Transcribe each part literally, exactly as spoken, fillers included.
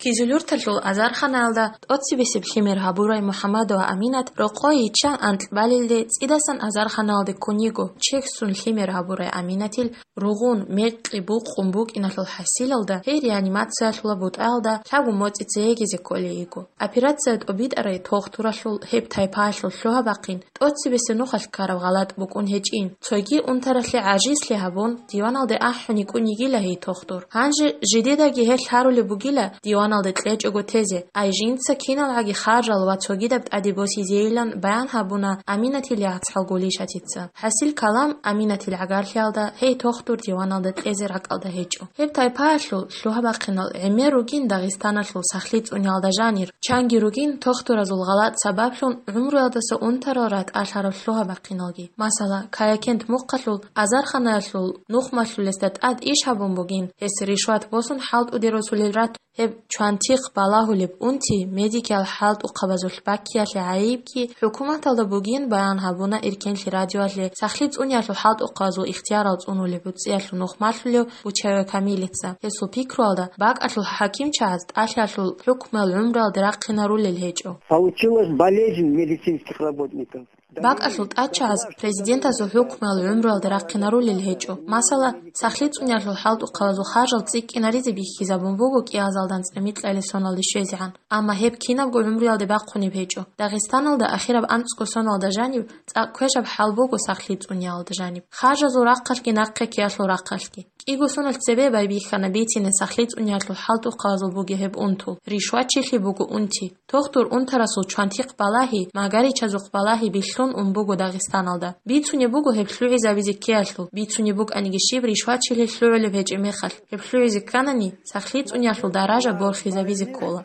Кизилюрталъул азарханаялда тӀоцебесеб лъимер гьабурай МухӀаммадова Аминат рокъой йиччан анкьбалилде цӀидасан азарханаялде ккун йиго. Чехьсун лъимер гьабурай Аминатил ругъун, мекъи букъун букӀиналъул хӀасилалда гьей реанимациялъула бутӀаялда лъабго моцӀица йегизе кколей йиго. Операция тӀобитӀарай тохтуралъул гьеб тайпаялъул лъугьа-бахъин тӀоцебесеб нухалъ ккараб гъалатӀ букӀун гьечӀин. Цоги унтаралъе гӀажизлъи гьабун, диваналде ахӀун йикӀун йигила гьей тохтур. Гьанже жидедаги гьелъ гьарулеб бугила, диваналде кьечӀого тезе, ай жинца киналгӀаги харжал ва цогидаб тӀаде босизейилан баян гьабуна Аминатил яцӀцӀал Гулишатица. ХӀасил калам Аминатил гӀагарлъиялда гьей тохтур диваналда кьезе ракӀалда гьечӀо. Гьеб тайпаялъул лъугьа-бахъинал гӀемер ругин Дагъистаналъул сахлъи цӀуниялда жанир. Чанги ругин тохтуразул гъалатӀ сабаблъун гӀумруялдаса унтарал ратӀалъарал лъугьа-бахъиналги. Масала, Каякент мухъалъул азарханаялъул нухмалъулесда тӀад иш гьабун бугин, гьес ришват босун хӀалтӀуде росулел ратун, гьеб чвантихъ балагьулеб унти, медикиял хӀалтӀухъабазулъ баккиялъе гӀайибги хӀукуматалда бугин баян гьабуна Иркенлъи радиоялъе сахлъи цӀуниялъул хӀалтӀухъабазул ихтиярал цӀунулеб гӀуцӀиялъул нухмалъулев Бучаева Камилица. Гьесул пикруялда, бакӀалъул хӀакимчагӀаз тӀалъиялъул хӀукмуял гӀумруялде рахъинарулел гьечӀо. Получилась болезнь медицинских работников. БакӀалъул тӀадчагӀаз президентасул хӀукмуял гӀумруялде рахъинарулел гьечӀо. Масала, сахлъи цӀуниялъул хӀалтӀухъабазул харжал цӀикӀкӀинаризе бихьизабун буго кӀиазалда анцӀила микьалил соналде щвезегӀан. Амма гьеб кинабго гӀумруялде бахъунеб гьечӀо. Дагъистаналда ахираб анцӀго соналда жаниб цӀакъ квешаб хӀал буго сахлъи цӀуниялда жаниб. Харжазул рахъалъги нахъе ккеялъул рахъалъги. КӀиго соналъ цебе байбихьана бицине сахлъи цӀуниялъул хӀалтӀухъабазул бугеб гьеб унтул. Ришватчилъи буго унти. Тохтур унтарасул чвантихъ балагьи, магаричазухъ балагьи бихьун ун буго Дагъистаналда. Бицунеб буго гьеб лъугӀизабизе ккеялъул, бицунеб букӀаниги щиб ришватчилъи лъугӀулеб гьечӀеб мехалъ, гьеб лъугӀизе кканани, сахлъи цӀуниялъул даража борхизабизе ккола.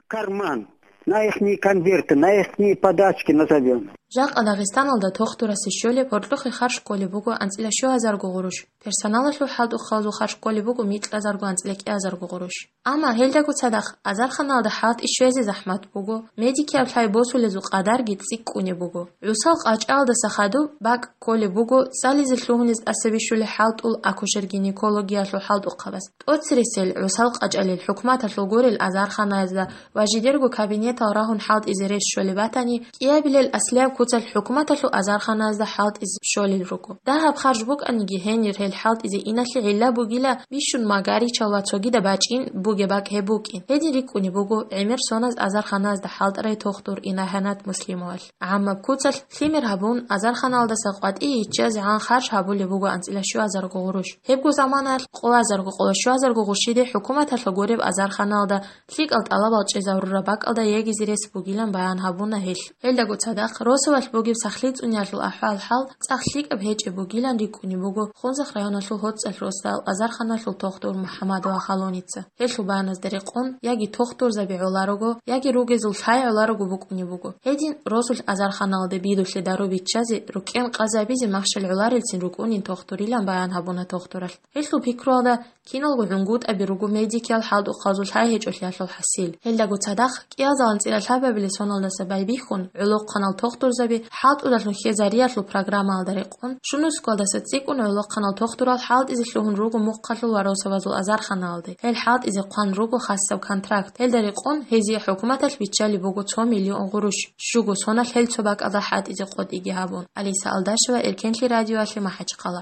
Карман, на ихние конверты, на ихние подачки назовём. Жакъа Дагъистаналда тохтурасе щолеб гьоркьохъе харж кколеб буго анцӀила щугьазарго гъурущ. Персоналалъул хӀалтӀухъабазул харж кколеб буго микьазарго анцӀила кӀиазарго гъурущ. Амма гьелдаго цадахъ азарханалда хӀалтӀи щвезе захӀмат буго, медикиял лъай босулезул къадарги цӀикӀкӀунеб буго. ГӀусал къачӀалдаса хадуб бакӀ кколеб буго цӀализе лъугьунез тӀаса бищулеб хӀалтӀул акушер-гинекологиялъул хӀалтӀухъабаз. ТӀоцересел гӀусал къачӀалил хӀукуматалъул гурел азарханаязда ва жидерго кабинетал рагьун хӀалтӀизе рес щолеб батани, кӀиабилел аслияб куцалъ хӀукуматалъул азарханаязда хӀалтӀизе щолел руго. Дагьаб харж букӀаниги гьенир гьел хӀалтӀизе иналъе гӀилла бугила бищун магаричал ва цогидаб бачӀин бугеб бакӀ гьеб букӀин. Гьедин рикӀкӀунеб буго гӀемер соназ азарханаязда хӀалтӀарай тохтур Инагьанат Муслимовалъ. ГӀаммаб куцалъ лъимер гьабун, азарханалдаса къватӀие йиччазегӀан харж гьабулеб буго анцӀила щуазарго гъурущ. Гьебго заманаялъ къолазарго-къоло щуазарго гъурщиде хӀукуматалъа гуреб азарханалда лъикӀал тӀалабал чӀезарураб бакӀалда йегизе рес бугилан баян гьабуна гьелъ. Гьелдаго цадахъ росулалъ бугеб сахлъи цӀуниялъул ахӀвал-хӀал цӀакъ лъикӀаб гьечӀеб бугилан рикӀкӀунеб буго Хунзахъ районалъул ГьоцӀалъ росдал азарханалъул тохтур МухӀаммадова Халуница. Гьелъул баяназда рекъон, яги тохтурзаби гӀоларого, яги ругезул лъай гӀоларого букӀунеб буго. Гьедин росулъ азарханалде бидулъе дару биччазе, рукӀкӀен къазабизе махщел гӀоларелцин рукӀунин тохтурилан баян гьабуна тохтуралъ. Гьелъул пикруялда, киналго гӀунгутӀаби руго медикиял хӀалтӀухъабазул лъай гьечӀолъиялъул хӀасил. Гьелдаго цадахъ, кӀиазал анцӀила лъабабилеб соналдаса байбихьун, гӀолохъанал тохтурзаби хӀалтӀудалъун хьезариялъул программаялда рекъон, щунусгоялдаса цӀикӀкӀун гӀолохъанал тохтурал хӀалтӀизе лъугьун руго мухъалъул ва росабазул азарханалде. Гьел хӀалтӀизе хъван руго хасаб контракт. Гьелда рекъон гьезие хӀукуматалъ биччалеб буго цо миллион гъурущ, щуго соналъ гьел цо бакӀалда хӀалтӀизе къотӀиги гьабун. Алиса Алдашева, Эркенлъи радиоялъе, МахӀачхъала.